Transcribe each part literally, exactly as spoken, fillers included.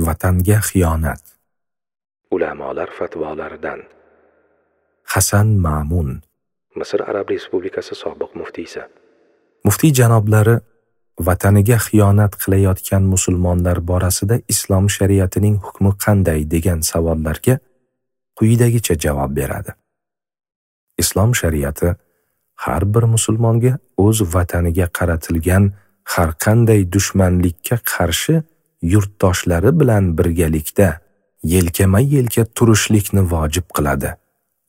Vatanga xiyonat. Ulamolar fatvolaridan. Hasan Ma'mun, Misr Arab Respublikasi sobiq muftiysi. Muftiy janoblari vataniga xiyonat qilayotgan musulmonlar borasida islom shariatining hukmi qanday degan savollarga quyidagicha javob beradi. Islom shariati har bir musulmonga o'z vataniga qaratilgan har qanday dushmanlikka qarshi yurtdoshlari bilan birgalikda yelkama-yelka turishlikni vojib qiladi.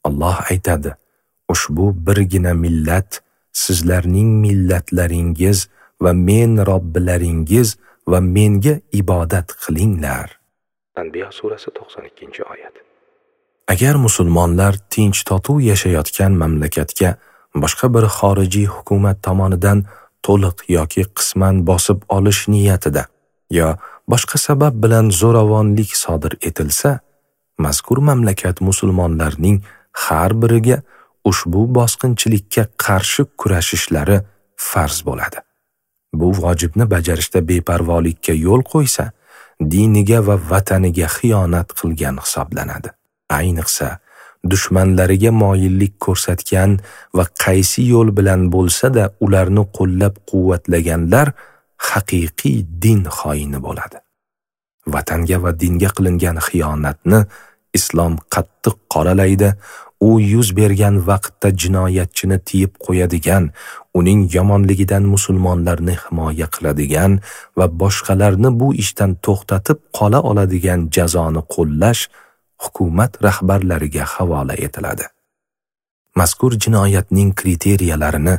Alloh aytadi: ushbu birgina millat sizlarning millatlaringiz va men Robbilaringiz va menga ibodat qilinglar. Anbiyo surasi to'qson ikkinchi oyat. Agar musulmonlar tinch totuv yashayotgan mamlakatga boshqa bir xorijiy hukumat tomonidan to'liq yoki qisman bosib olish niyatida yo boshqa sabab bilan zo'ravonlik sodir etilsa, mazkur mamlakat musulmonlarning har biriga ushbu bosqinchilikka qarshi kurashishlari farz bo'ladi. Bu vojibni bajarishda beparvolikka yo'l qo'ysa, diniga va vataniga xiyonat qilgan hisoblanadi. Ayniqsa, dushmanlariga moyillik ko'rsatgan va qaysi yo'l bilan bo'lsa-da ularni qo'llab-quvvatlaganlar haqiqiy din xoini bo'ladi. Vatanga va dinga qilingan xiyonatni islom qattiq qoralaydi. U yuz bergan vaqtda jinoyatchini tiyib qo'yadigan, uning yomonligidan musulmonlarni himoya qiladigan va boshqalarni bu ishdan to'xtatib qola oladigan jazoni qo'llash hukumat rahbarlariga havola etiladi. Mazkur jinoyatning kriteriyalarini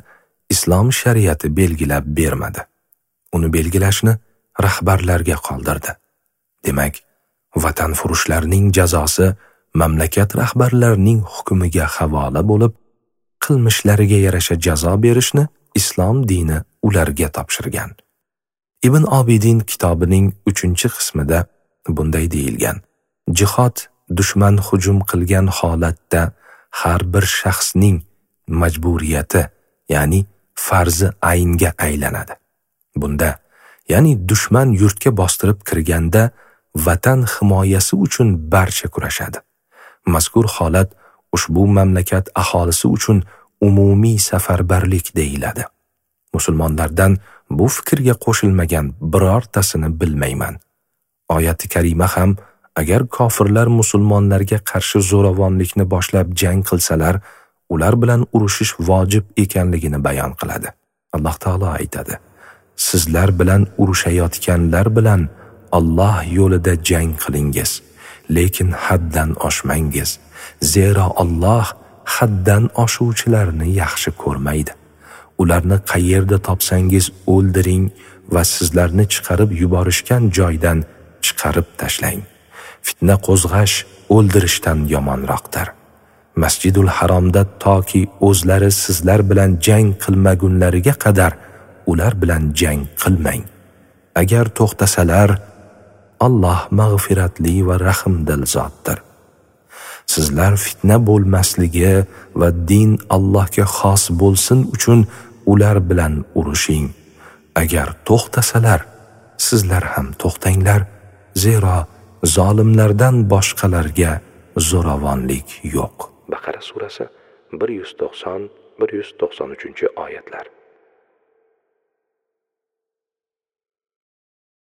islom shariati belgilab bermadi. Uni belgilashni rahbarlarga qoldirdi. Demak, vatanfurushlarning jazosi mamlakat rahbarlarining hukmiga havola bo'lib, qilmishlariga yarasha jazo berishni islom dini ularga topshirgan. Ibn Obidin kitobining uchinchi qismida bunday deyilgan: jihod dushman hujum qilgan holatda har bir shaxsning majburiyati, ya'ni farzi aynga aylanadi. Bunda, ya'ni dushman yurtga bostirib kirganda vatan himoyasi uchun barcha kurashadi. Mazkur holat ushbu mamlakat aholisi uchun umumiy safarbarlik deyiladi. Musulmonlardan bu fikrga qo'shilmagan birortasini bilmayman. Oyati karima ham agar kofirlar musulmonlarga qarshi zo'ravonlikni boshlab jang qilsalar, ular bilan urushish vojib ekanligini bayon qiladi. Alloh taolo aytadi: sizlar bilan urushayotganlar bilan Alloh yo'lida jang qilingiz, lekin haddan oshmangiz, zero Alloh haddan oshuvchilarni yaxshi ko'rmaydi. Ularni qayerda topsangiz o'ldiring va sizlarni chiqarib yuborishgan joydan chiqarib tashlang. Fitna qo'zg'ash o'ldirishdan yomonroqdir. Masjidul Haromda toki o'zlari sizlar bilan jang qilmagunlariga qadar ular bilan jang qilmang. Agar to'xtasalar, Alloh mag'firatli va rahmdil zotdir. Sizlar fitna bo'lmasligi va din Allohga xos bo'lsin uchun ular bilan urushing. Agar to'xtasalar, sizlar ham to'xtanglar, zero zolimlardan boshqalarga zo'ravonlik yo'q. Baqara surasi bir yuz to'qson bir yuz to'qson uchinchi oyatlar.